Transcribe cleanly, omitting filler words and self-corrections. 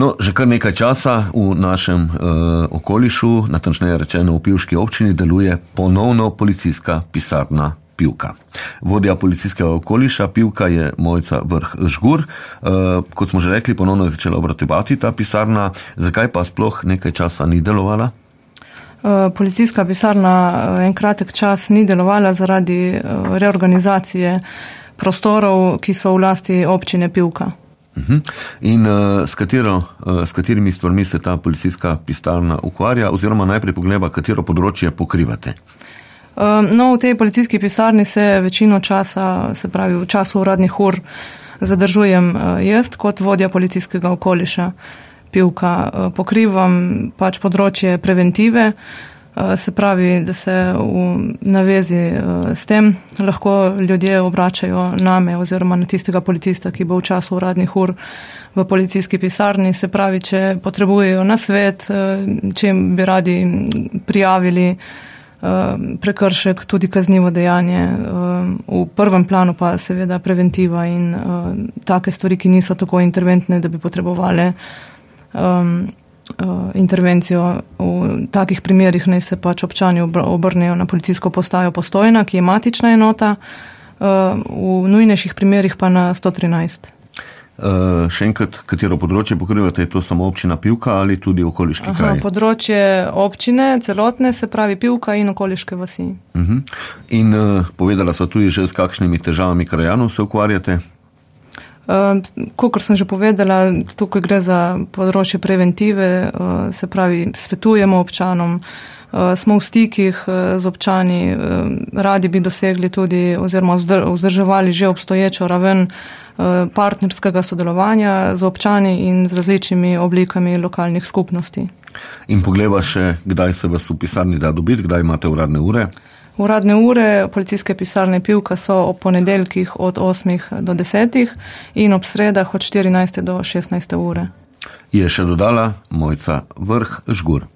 No, že kar nekaj časa v našem okolišu, natančneje rečeno v Pivški občini, deluje ponovno policijska pisarna Pivka. Vodja policijskega okoliša Pivka je Mojca Vrh Žgur. Kot smo že rekli, ponovno je začela obratovati ta pisarna. Zakaj pa sploh nekaj časa ni delovala? Policijska pisarna en kratek čas ni delovala zaradi reorganizacije prostorov, ki so v lasti občine Pivka. In s katerimi stvarmi se ta policijska pisarna ukvarja, oziroma najprej pogleda, katero področje pokrivate? No, v tej policijski pisarni se večino časa, se pravi v času uradnih ur, zadržujem jaz kot vodja policijskega okoliša Pivka. Pokrivam pač področje preventive, se pravi, da se v navezi s tem lahko ljudje obračajo name oziroma na tistega policista, ki bo v času uradnih ur v policijski pisarni. Se pravi, če potrebujejo nasvet, če bi radi prijavili prekršek, tudi kaznivo dejanje. V prvem planu pa seveda preventiva in take stvari, ki niso tako interventne, da bi potrebovali intervencijo. V takih primerih naj se pač občani obrnejo na policijsko postajo Postojna, ki je matična enota, v nujnejših primerih pa na 113. Še enkrat, katero področje pokrivate, je to samo občina Pivka ali tudi okoliški kraj? Področje občine, celotne, se pravi Pivka in okoliške vasi. In povedala sva tudi že, s kakšnimi težavami krajanov se ukvarjate? Kakor sem že povedala, tukaj gre za področje preventive, se pravi, svetujemo občanom, smo v stikih z občani, radi bi dosegli tudi oziroma vzdrževali že obstoječo raven partnerskega sodelovanja z občani in z različnimi oblikami lokalnih skupnosti. In pogleda še, kdaj se vas v pisarni da dobiti, kdaj imate uradne ure? Uradne ure policijske pisarne Pivka so ob ponedeljkih od 8 do 10 in ob sredah od 14 do 16 ure. Je še dodala Mojca Vrh Žgur.